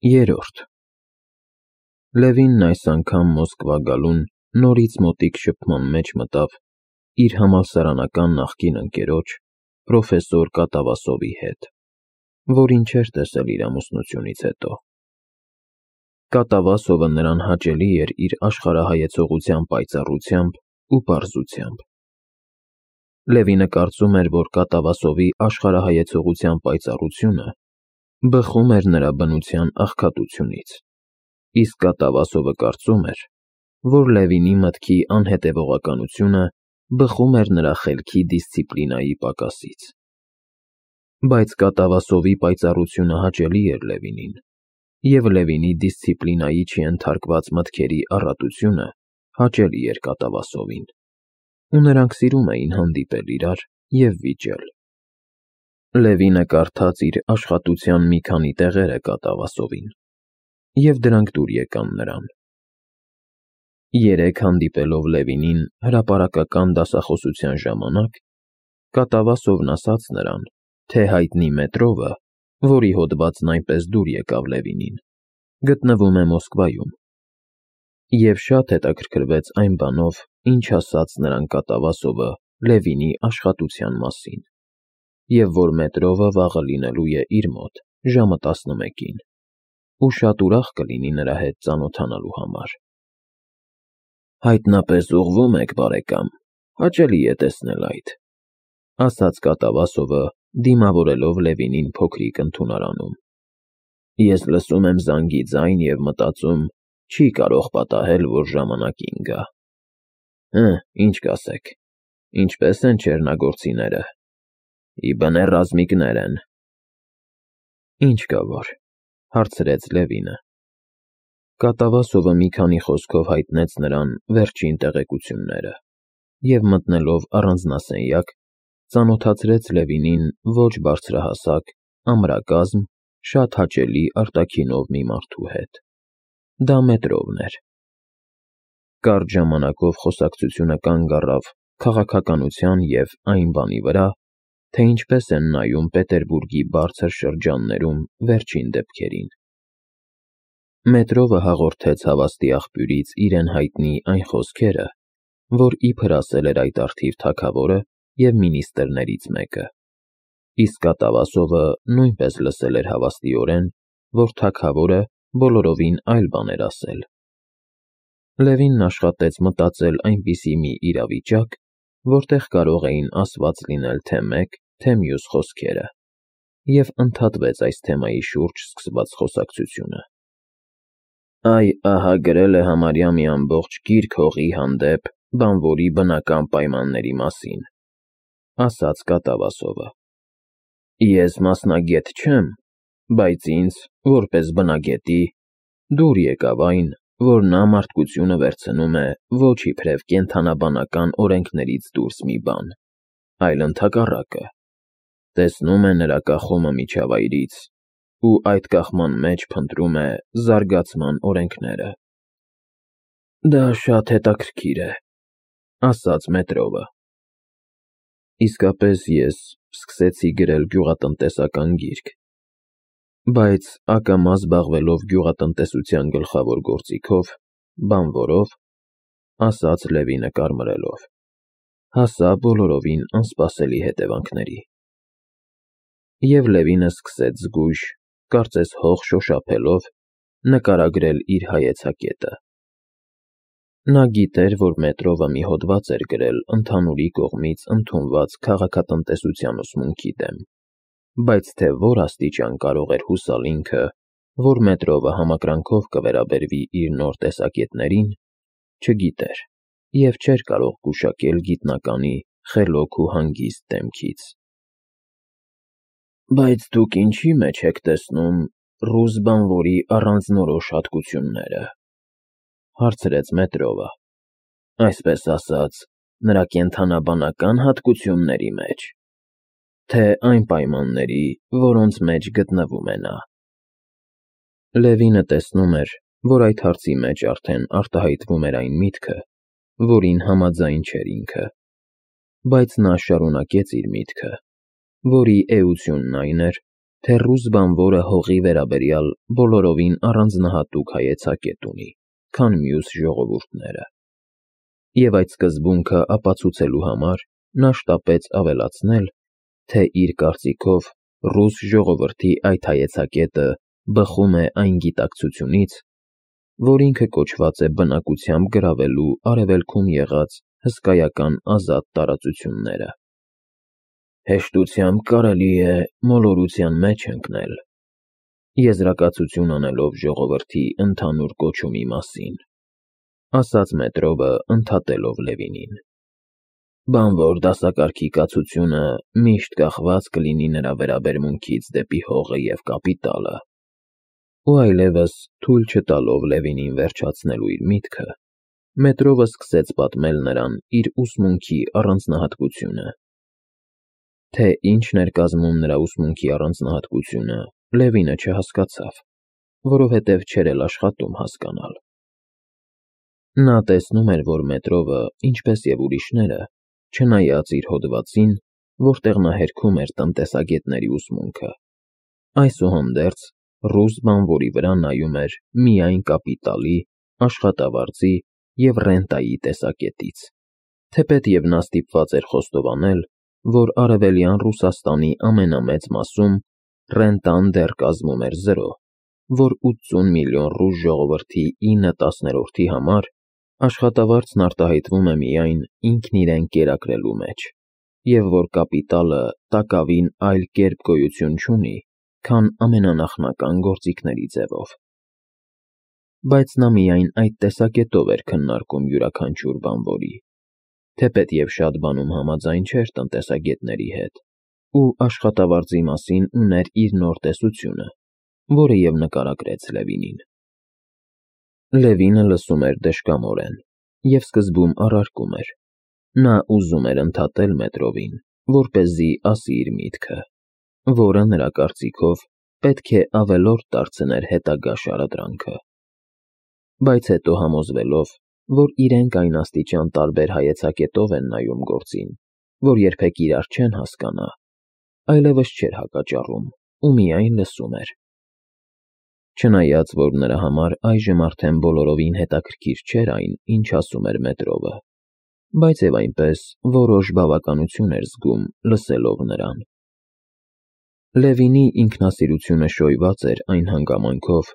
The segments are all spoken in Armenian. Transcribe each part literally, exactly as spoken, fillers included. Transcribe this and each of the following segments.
Երորդ Լևինն այս անգամ Մոսկվա գալուն նորից մոտիկ շփման մեջ մտավ իր համալսարանական նախկին ընկերոջ պրոֆեսոր Կատավասովի հետ, որին չէր տեսել իր ամուսնությունից հետո։ Կատավասովը նրան հաճելի էր իր աշխարհայեցողության պայծառությամբ ու պարզությամբ։ Լևինը կարծում էր, որ Կատավասովի աշխարհայեցողության պայծառությունը բխում էր նրա բնության աղքատությունից, իսկ Կատավասովը կարծում էր, որ Լևինի մտքի անհետևողականությունը բխում էր նրա խելքի դիսցիպլինայի պակասից։ Բայց Կատավասովի պայծառությունը հաճելի էր Լևինին, և Լևինի դիսցիպլինայի չենթարկված մտքերի առատությունը հաճելի էր Կատավասովին, ու նրանք սիրում էին հանդիպել իրար և վիճել։ Լևինը կարդաց իր աշխատության մի քանի տեղերը Կատավասովին, և դրանք դուր եկան նրան։ Երեկ հանդիպելով Լևինին հրապարակական դասախոսության ժամանակ, Կատավասովն ասաց նրան, թե հայտնի մետրովը, որի հոդվածն այնպես դուր եկավ Լևինին, գտնվում է Մոսկվայում, և շատ հետաքրքրվեց այն բանով, ինչ ասաց նրան Կատավասովը Լևինի աշխատության մասին, և որ մետրովը վաղը լինելու է իր մոտ ժամը տասնմեկին, ու շատ ուրախ կլինի նրա հետ ծանոթանալու համար։ Հայտնապես ուղղվում եք, բարեկամ, հաճելի է տեսնել այդ, ասաց Կատավասովը, դիմավորելով Լևինին փոքրիկ ընդունարանում։ Ես լսում եմ զանգի ձայն և մտածում, չի կարող պատահել, որ ժամանակին գա։ Հը, ինչ կասեք, ինչպե՞ս են չեռնագործիները։ Ի բնե ռազմիկներ են։ Ինչ կա որ, հարցրեց Լևինը։ Կատավասովը մի քանի խոսքով հայտնեց նրան վերջին տեղեկությունները և մտնելով առանձնասենյակ, ծանոթացրեց Լևինին ոչ բարձրահասակ, ամրակազմ, շատ հաճելի արտաքինով մի մարդու հետ։ Դա մետրովն էր։ Կարճ ժամանակով խոսակցությունը կանգ առավ քաղաքականության և այն բանի վրա, թե ինչպես են նայում Պետերբուրգի բարձր շրջաններում վերջին դեպքերին։ Մետրովը հաղորդեց հավաստի աղբյուրից իրեն հայտնի այն խոսքերը, որ իբր ասել էր այդ առթիվ թագավորը և մինիստրներից մեկը, իսկ Կատավասովը նույնպես լսել էր հավաստիորեն, որ թագավորը բոլորովին այլ բան էր ասել։ Լևինն աշխատեց մտածել այնպիսի մի իրավիճակ, որտեղ կարող էին ասված լինել թե մեկ, թե մյուս խոսքերը, և ընդհատվեց այս թեմայի շուրջ սկսված խոսակցությունը։ Այ ահա գրել է համարյա մի ամբողջ գիրք հողի հանդեպ բանվորի բնական պայմանների մասին, ասաց Կատավասովը։ Ես մասնագետ չեմ, բայց ինձ, որպես բնագետի, դուր եկավ այն, որ նա մարդկությունը վերցնում է ոչ իբրև կենդանաբանական օրենքներից դուրս մի բան, այլ ընդհակառակը, տեսնում է նրա կախումը միջավայրից ու այդ կախման մեջ փնտրում է զարգացման օրենքները։ Դա շատ հետաքրքիր է, ասաց մետրովը։ Իսկապես ես սկսեցի գրել գյուղատնտեսական գիրք, բայց ակամա զբաղվելով գյուղատնտեսության գլխավոր գործիքով, բանվորով, ասաց Լևինը կարմրելով, հասա բոլորովին անսպասելի հետևանքների։ Եվ Լևինը սկսեց զգույշ, կարծես հող շոշափելով, նկարագրել իր հայեցակետը։ Նա գիտեր, որ մետրովը մի հոդված էր գրել ընդհանուրի կողմից ընդունված քաղաքատնտեսության ուսմունքի դեմ, բայց թե որ աստիճան կարող էր հուսալ ինքը, որ մետրովը համակրանքով կվերաբերվի իր նոր տեսակետներին, չգիտեր և չէր կարող գուշակել գիտնականի խելոք ու հանգիստ դեմքից։ Բայց դուք ինչի մեջ եք տեսնում ռուս բանվորի առանձնորոշ հատկությունները, հարցրեց մետրովը, այսպես ասած, նրա կենդանաբանական հատկությունների մեջ, թե այն պայմանների, որոնց մեջ գտնվում է նա։ Լևինը տեսնում էր, որ այդ հարցի մեջ արդեն արտահայտվում էր այն միտքը, որին համաձայն չէր ինքը, բայց նա շարունակեց իր միտքը, որի էությունն այն էր, թե ռուս բանվորը հողի վերաբերյալ բոլորովին առանձնահատուկ հայեցակետ ունի, քան մյուս ժողովուրդները։ Եվ այդ սկզբունքը ապացուցելու համար նա շտապեց ավելացնել, թե իր կարծիքով ռուս ժողովրդի այդ հայեցակետը բխում է այն գիտակցությունից, որ ինքը կոչված է բնակությամբ գրավելու արևելքում եղած հսկայական ազատ տարածությունները։ Հեշտությամբ կարելի է մոլորության մեջ ընկնել, եզրակացություն անելով ժողովրդի ընդհանուր կոչումի մասին, ասաց Մետրովը ընդհատելով Լևինին։ Բանվոր դասակարգի կացությունը միշտ կախված կլինի նրա վերաբերմունքից դեպի հողը և կապիտալը։ Ու այլևս թույլ չտալով Լևինին վերջացնելու իր միտքը, Մետրովը սկսեց պատմել նրան իր ուսմունքի առանձնահատկությունը։ Թե ինչն էր կազմում նրա ուսմունքի առանձնահատկությունը, Լևինը չհասկացավ, որովհետև չէր էլ աշխատում հասկանալ։ Նա տեսնում էր, որ Մետրովը, ինչպես և ուրիշները, չնայած իր հոդվածին, որտեղ նա հերքում էր տնտեսագետների ուսմունքը, այսուհանդերձ ռուս բանվորի վրա նայում էր միայն կապիտալի, աշխատավարձի և ռենտայի տեսակետից, թեպետև նա ստիպված էր խոստովանել, որ Արևելյան Ռուսաստանի ամենամեծ մասում ռենտան դեռ կազմում էր զրո, որ ութսուն միլիոն ռուս ժողովրդի ինը տասներորդի համար աշխատավարձն արտահայտվում է միայն ինքն իրեն կերակրելու մեջ, և որ կապիտալը տակավին այլ կերպ գոյություն չունի, քան ամենանախնական գործիքների ձևով։ Բայց նա միայն այդ տեսակետով էր քննարկում յուրաքանչյուր բանվորի, թեպետև շատ բանում համաձայն չէր տնտեսագետների հետ, ու աշխատավարձի մասին ուներ իր նոր տեսությունը, որը և նկարագրեց Լևինին։ Լևինը լսում էր դժկամորեն և սկզբում առարկում էր։ Նա ուզում էր ընդհատել Մետրովին, որպեսզի ասի իր միտքը, որը նրա կարծիքով պետք է ավելորդ դարձներ հետագա շարադրանքը։ Բայց հետո համոզվելով, որ իրենք այն աստիճան տարբեր հայեցակետով են նայում գործին, որ երբեք իրար չեն հասկանա, այլևս չէր հակաճառում ու միայն լսում էր։ Չնայած, որ նրա համար այժմ արդեն բոլորովին հետաքրքիր չէր այն, ինչ ասում էր Մետրովը, բայց և այնպես որոշ բավականություն էր զգում լսելով նրան։ Լևինի ինքնասիրությունը շոյված էր այն հանգամանքով,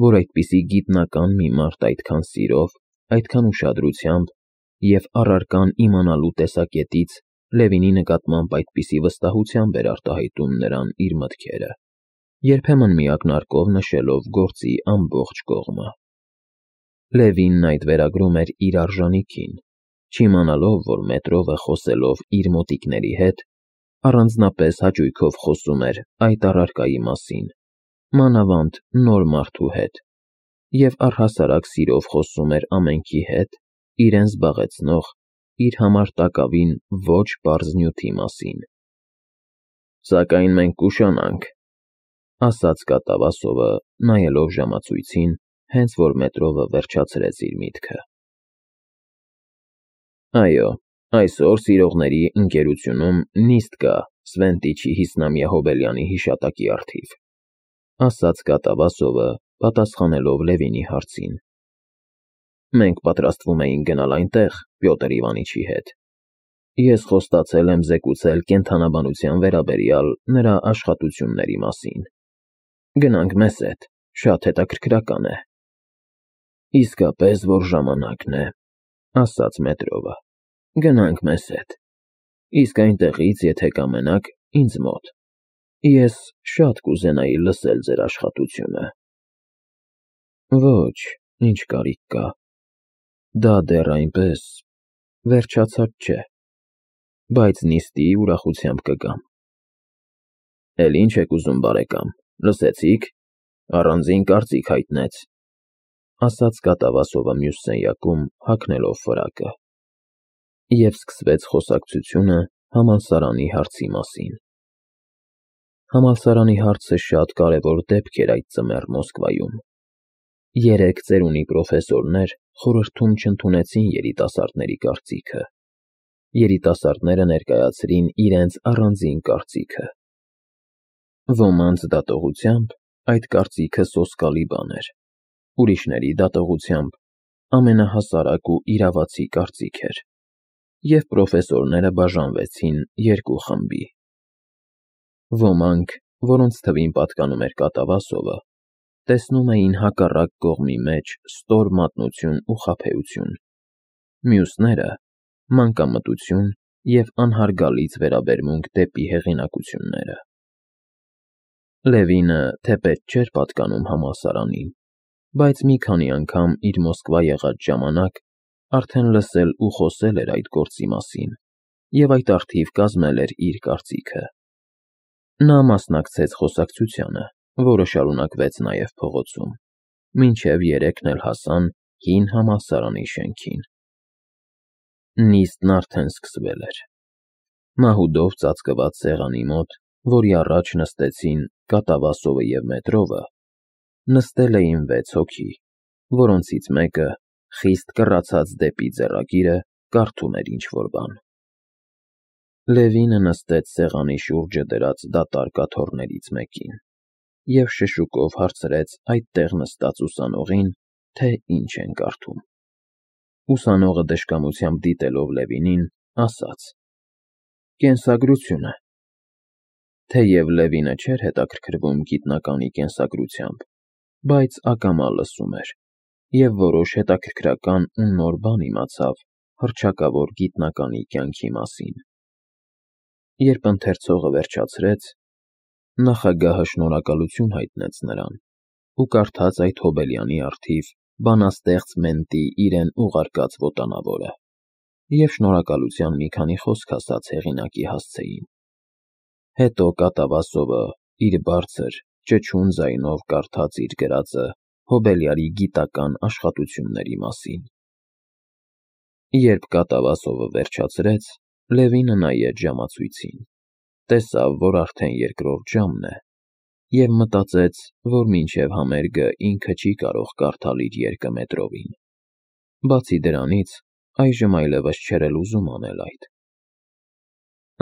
որ այդպիսի գիտնական մի մարդ այդքան սիրով, այդքան ուշադրությամբ և առարկան իմանալու տեսակետից Լևինի նկատմամբ այդպիսի վստահությամբ էր արտահայտում նրան իր մտքերը, երբեմն մի ակնարկով նշելով գործի ամբողջ կողմը։ Լևինն այդ վերագրում էր իր արժանիքին, չիմանալով, որ Մետրովը խոսելով իր մոտիկների հետ, առանձնապես հաճույքով խոսում էր այդ առարկայի մասին, մանավանդ նոր մարդու հետ, և առհասարակ սիրով խոսում էր ամենքի հետ իրեն զբաղեցնող, իր համար տակավին ոչ պարզ նյութի մասին։ Սակայն մենք կուշանանք, ասաց կատավասովը, նայելով ժամացույցին, հենց որ Մետրովը վերջացրեց իր միտքը։ Այո, այսօր սիրողների ընկերությունում նիստ կա Սվենտիչի հիսնամյա հոբելյանի հիշատակի առթիվ, ասաց կատավասովը, պատասխանելով Լևինի հարցին։ Մենք պատրաստվում էինք գնալ այնտեղ Պյոտր Իվանիչի հետ։ Ես խոստացել եմ զեկուցել կենդանաբանության վերաբերյալ նրա աշխատությունների մասին։ Գնանք մեզ հետ, շատ հետաքրքրական է։ Իսկապես որ ժամանակն է, ասաց Մետրովը։ Գնանք մեզ հետ։ Իսկ այնտեղից, եթե կամենաք, ինձ մոտ։ Ես շատ կուզենայի լսել ձեր աշխատությունը։ Ոչ, ինչ կարիք կա։ Դա դեռ այնպես վերջացած չէ, բայց նիստի ուրախությամբ կգամ։ Էլ ինչ եք ուզում, բարեկամ, լսեցի՞ք, առանձին կարծիք հայտնեց, ասաց կատավասովը մյուս սենյակում, հագնելով ֆրակը։ Եվ սկսվեց խոսակցությունը համալսարանի հարցի մասին։ Համալսարանի հարցը շատ կարևոր դեպք էր այդ ձմեռ Մոսկվայում։ Երեք ծերունի պրոֆեսորներ խորհրդում չընդունեցին երիտասարդների կարծիքը։ Երիտասարդները ներկայացրին իրենց առանձին կարծիքը։ Ոմանց դատողությամբ այդ կարծիքը սոսկալի բան էր, ուրիշների դատողությամբ ամենահասարակ ու իրավացի կարծիք էր, և պրոֆեսորները բաժանվեցին երկու խմբի. ոմանք, որոնց թվին պատկանում էր կատավասովը, տեսնում էին հակառակ կողմի մեջ ստոր մատնություն ու խաբեություն, մյուսները՝ մանկամտություն և անհարգալից վերաբերմունք դեպի հեղինակությունները։ Լևինը թեպետ չէր պատկանում համալսարանին, բայց մի քանի անգամ իր Մոսկվա եղած ժամանակ արդեն լսել ու խոսել էր այդ գործի մասին և այդ առթիվ կազմել էր իր կարծիքը։ Նա մասնակցեց խոսակցությանը, որը շարունակվեց նաև փողոցում, մինչև երեքն էլ հասան հին համալսարանի շենքին։ Նիստն արդեն սկսվել էր։ Մահուդով ծածկված սեղանի մոտ, որի առաջ նստեցին Կատավասովը և Մետրովը, նստել էին վեց հոգի, որոնցից մեկը, խիստ կռացած դեպի ձեռագիրը, կարդում էր ինչ-որ բան։ Լևինը նստեց սեղանի շուրջը դրած դատարկ աթոռներից մեկին և շշուկով հարցրեց այդտեղ նստած ուսանողին, թե ինչ են կարդում։ Ուսանողը դժկամությամբ դիտելով Լևինին, ասաց. «Կենսագրությունը»։ Թեև Լևինը չէր հետաքրքրվում գիտնականի կենսագրությամբ, բայց ակամա լսում էր և որոշ հետաքրքրական ու նոր բան իմացավ հռչակավոր գիտնականի կյանքի մասին։ Երբ ընթերցողը վերջացրեց, նախագահը շնորհակալություն հայտնեց նրան ու կարդաց այդ Հոբելյանի առթիվ բանաստեղծ Մենտի իրեն ուղարկած ոտանավորը և շնորհակալության մի քանի խոսք ասաց հեղինակի հասցեին։ Հետո Կատավասովը իր բարձր, ճչուն ձայնով կարդաց իր գրածը Հոբելյարի գիտական աշխատությունների մասին։ Երբ Կատավասովը վերջացրեց, Լևինը նայեց ժամացույցին, տեսավ, որ արդեն երկրորդ ժամն է, և մտածեց, որ մինչև համերգը ինքը չի կարող կարդալ իր երկը Մետրովին։ Բացի դրանից, այժմ այլևս չէր էլ ուզում անել այդ։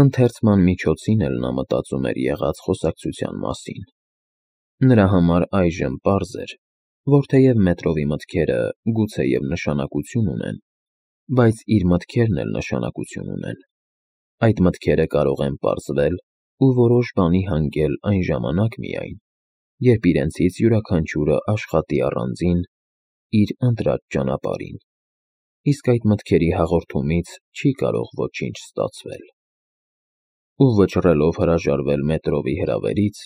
Ընթերցման միջոցին էլ նա մտածում էր եղած խոսակցության մասին։ Նրա համար այժմ պարզ էր, որ թեև Մետրովի մտքերը գուցեև նշանակություն ունեն, բայց իր մտքերն էլ նշանակություն ունեն։ Այդ մտքերը կարող են պարզվել ու որոշ բանի հանգել այն ժամանակ միայն, երբ իրենցից յուրաքանչյուրը աշխատի առանձին իր ընտրած ճանապարհին, իսկ այդ մտքերի հաղորդումից չի կարող ոչինչ ստացվել։ Ու վճռելով հրաժարվել Մետրովի հրավերից,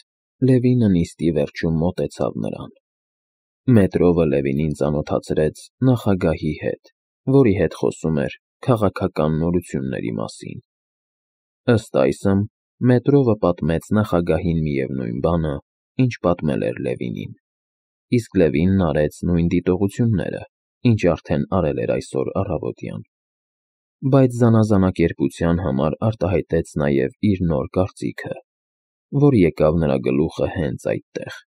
Լևինը նիստի վերջում մոտեցավ նրան։ Մետրովը Լևինին ծանոթացրեց նախագահի հետ, որի հետ խոսում էր քաղաքական նորությունների մասին։ Ըստ այսմ, Մետրովը պատմեց նախագահին միևնույն բանը, ինչ պատմել էր Լևինին, իսկ Լևինն արեց նույն դիտողությունները, ինչ արդեն արել էր այսօր առավոտյան, բայց զանազանակերպության համար արտահայտեց նաև իր նոր կարծիքը, որ եկավ նրա գլուխը հենց այդտեղ։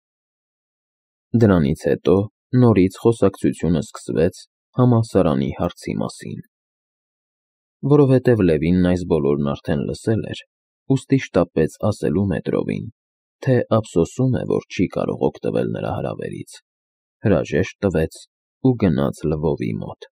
Դրանից հետո նորից խոսակցությունը սկսվեց համալսարանի հարցի մասին։ Որովհետև Լևինն այս բոլորն արդեն լսել էր, ուստի շտապեց ասելու Մետրովին, թե ափսոսում է, որ չի կարող օգտվել նրա հրավերից, հրաժեշտ տվեց ու գնաց Լվովի մոտ։